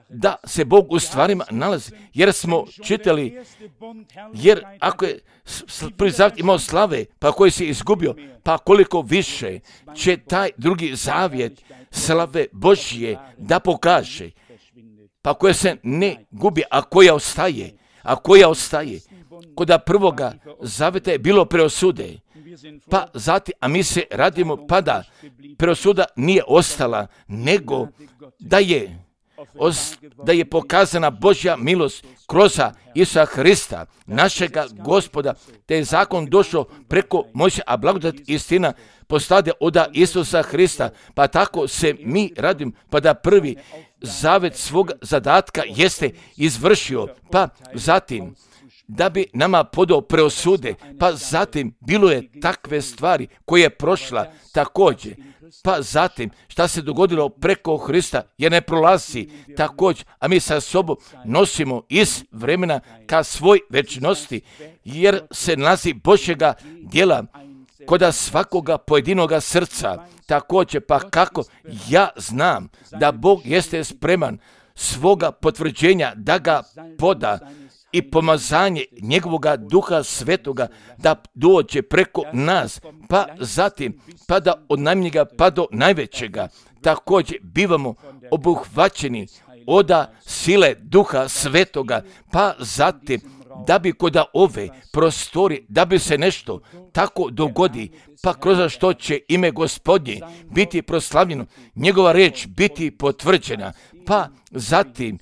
da se Bog u stvarima nalazi, jer smo čitali, jer ako je prvi zavjet imao slave, pa koji se izgubio, pa koliko više će taj drugi zavjet slave Božje da pokaže, pa koja se ne gubi, a koja ostaje, a koja ostaje. Koda prvoga zavjeta je bilo preosude, pa zatim, a mi se radimo, pa da preosuda nije ostala, nego da je da je pokazana Božja milost kroz Isusa Hrista, našega Gospoda, te je zakon došao preko Mojsija, a blagodat istina postade od Isusa Hrista, pa tako se mi radimo, pa da prvi zavet svog zadatka jeste izvršio, pa zatim da bi nama podao preosude, pa zatim bilo je takve stvari koje je prošla također, pa zatim šta se dogodilo preko Hrista jer ne prolazi također, a mi sa sobom nosimo iz vremena ka svoj večnosti, jer se nalazi Božjega djela koda svakoga pojedinoga srca također, pa kako ja znam da Bog jeste spreman svoga potvrđenja da ga poda i pomazanje njegovoga duha svetoga da dođe preko nas, pa zatim, pa da od najmanjega pa do najvećega, također bivamo obuhvaćeni od sile duha svetoga, pa zatim, da bi kod ove prostori, da bi se nešto tako dogodi, pa kroz što će ime Gospodnje biti proslavljeno, njegova reč biti potvrđena, pa zatim,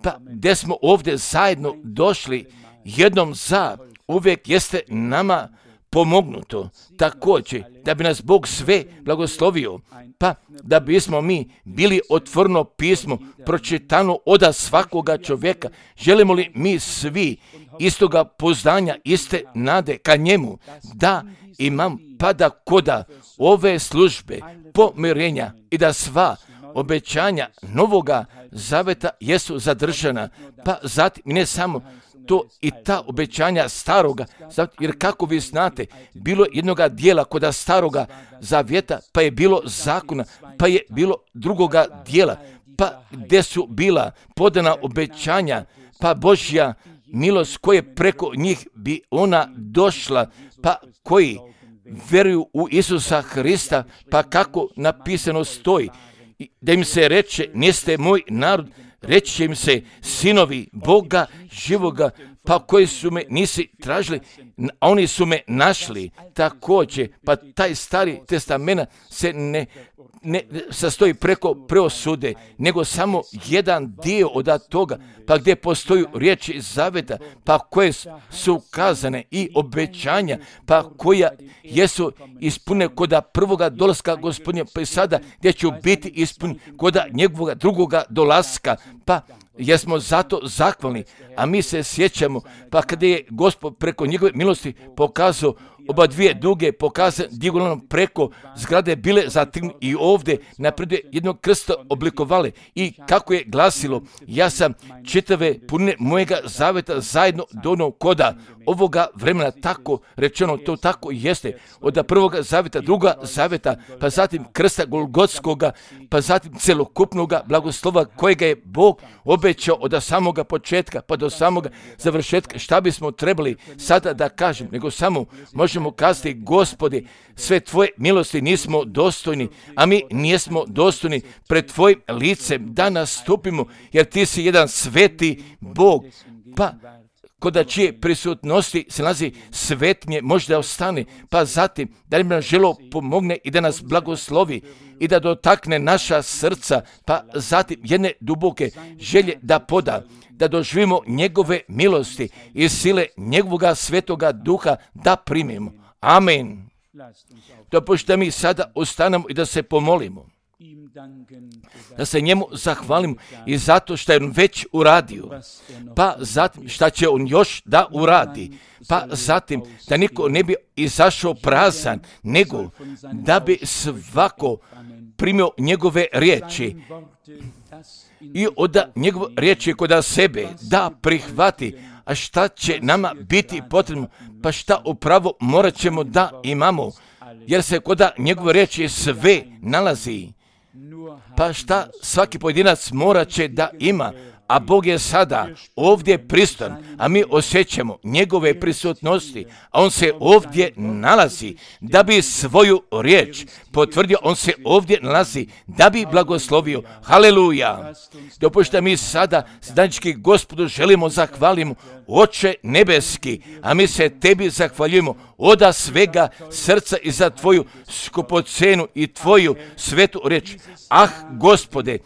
pa gdje smo ovdje zajedno došli jednom za uvijek jeste nama pomognuto također da bi nas Bog sve blagoslovio, pa da bismo mi bili otvoreno pismo pročitano od svakoga čovjeka. Želimo li mi svi istoga poznanja, iste nade ka njemu, da imam pa da koda ove službe pomirenja i da sva obećanja novoga zaveta jesu zadržana, pa zatim ne samo to i ta obećanja staroga zaveta, jer kako vi znate, bilo jednoga dijela koda staroga zavjeta, pa je bilo zakona, pa je bilo drugoga dijela, pa gdje su bila podana obećanja, pa Božja milost koje preko njih bi ona došla, pa koji vjeruju u Isusa Hrista, pa kako napisano stoji, da im se reče, niste moj narod, reći će im se sinovi Boga živoga, pa koji su me nisi tražili, a oni su me našli. Također, pa taj stari testament se ne, ne sastoji preko preosude, nego samo jedan dio od toga, pa gdje postoju riječi zaveta, pa koje su kazane i obećanja, pa koja jesu ispune koda prvoga dolaska Gospodnja, pa i sada gdje će biti ispuni koda njegovoga drugoga dolaska, pa jesmo zato zahvalni, a mi se sjećamo, pa kada je Gospod preko njegove milosti pokazao oba dvije duge, pokazan dijagonalno preko zgrade bile zatim i ovdje napred jednog krsta oblikovali i kako je glasilo, ja sam čitave punine mojega zaveta zajedno donio koda ovoga vremena, tako rečeno, to tako jeste, od prvoga zaveta, druga zaveta, pa zatim krsta Golgotskoga, pa zatim celokupnoga blagoslova kojega je Bog obećao od samoga početka pa do samoga završetka. Šta bismo trebali sada da kažem, nego samo možemo kazati, Gospodi, sve tvoje milosti nismo dostojni, a mi nismo dostojni pred tvojim licem da nastupimo, jer ti si jedan sveti Bog, pa kod čije prisutnosti se nalazi svetnje, možda ostane, pa zatim da li nam želo pomogne i da nas blagoslovi i da dotakne naša srca, pa zatim jedne duboke želje da poda, da doživimo njegove milosti i sile njegovoga svetoga duha da primimo. Amen. Dopušta mi sada ostanemo i da se pomolimo, da se njemu zahvalimo i zato što je on već uradio, pa zatim šta će on još da uradi, pa zatim da niko ne bi izašao prazan, nego da bi svako primio njegove riječi i od njegove riječi kod sebe da prihvati. A šta će nama biti potrebno, pa šta upravo morat ćemo da imamo, jer se kod njegove riječi sve nalazi. Pa šta svaki pojedinac morat će da ima, a Bog je sada ovdje pristojan, a mi osjećamo njegove prisutnosti, a on se ovdje nalazi da bi svoju riječ potvrdio, on se ovdje nalazi da bi blagoslovio. Haleluja! Dopušta mi sada sedanički Gospodu želimo zahvalimo, Oče nebeski, a mi se tebi zahvaljujemo od svega srca i za tvoju skupocenu i tvoju svetu riječ. Ah, Gospode,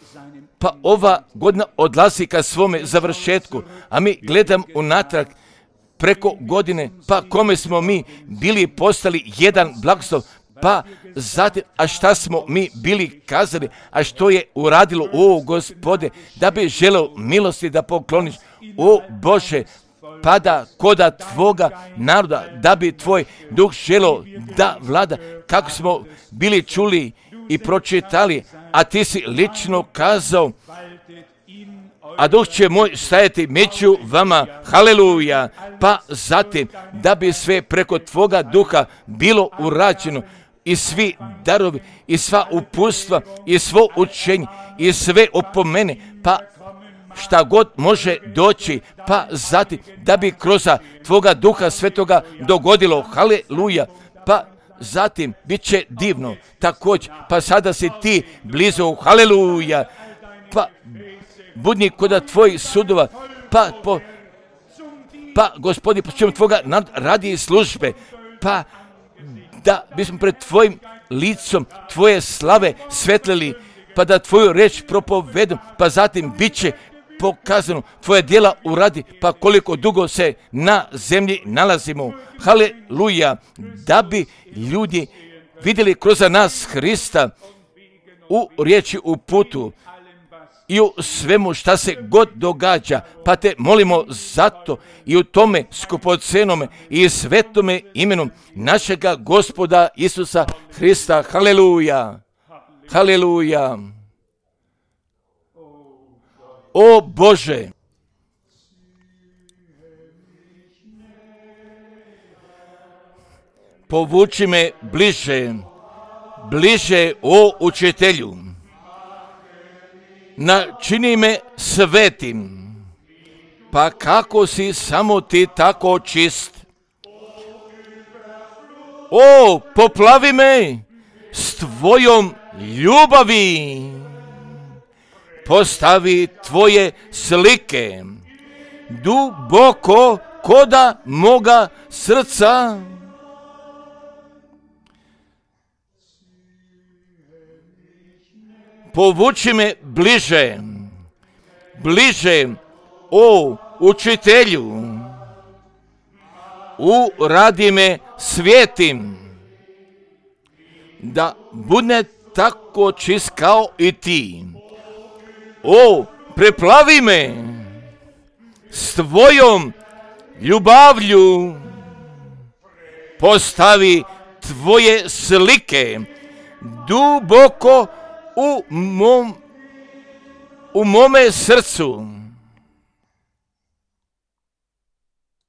pa ova godina odlazi ka svome završetku, a mi gledam unatrag preko godine, pa kome smo mi bili postali jedan blagoslov, pa zatim, a šta smo mi bili kazali, a što je uradilo, o Gospode, da bi želeo milosti da pokloniš, o Bože, pada koda tvoga naroda, da bi tvoj duh želeo da vlada, kako smo bili čuli i pročitali, a ti si lično kazao, a duh će moj stajati među vama, haleluja, pa zatim da bi sve preko tvoga duha bilo urađeno i svi darovi i sva uputstva i svo učenje i sve opomene, pa šta god može doći, pa zatim da bi kroz tvoga duha svetoga dogodilo, haleluja, pa zatim bit će divno također, pa sada si ti blizu, haleluja, pa budni kod tvojih sudova, pa po, pa Gospodi, po čemu tvoga radi i službe, pa da bismo pred tvojim licom tvoje slave svetlili, pa da tvoju reč propovedom, pa zatim bit će pokazano tvoje djela uradi, pa koliko dugo se na zemlji nalazimo, haleluja, da bi ljudi vidjeli kroz nas Hrista u riječi, u putu i u svemu šta se god događa, pa te molimo zato i u tome skupocenome i svetome imenu našega Gospoda Isusa Hrista, haleluja, haleluja. O Bože, povuči me bliže, bliže, o učitelju, načini me svetim, pa kako si samo ti tako čist. O, poplavi me s tvojom ljubavi, postavi tvoje slike duboko koda moga srca. Povuči me bliže, bliže, o učitelju, uradi me svijetim, da bude tako čist kao i ti. O, preplavi me s tvojom ljubavlju, postavi tvoje slike duboko u mom, u mome srcu.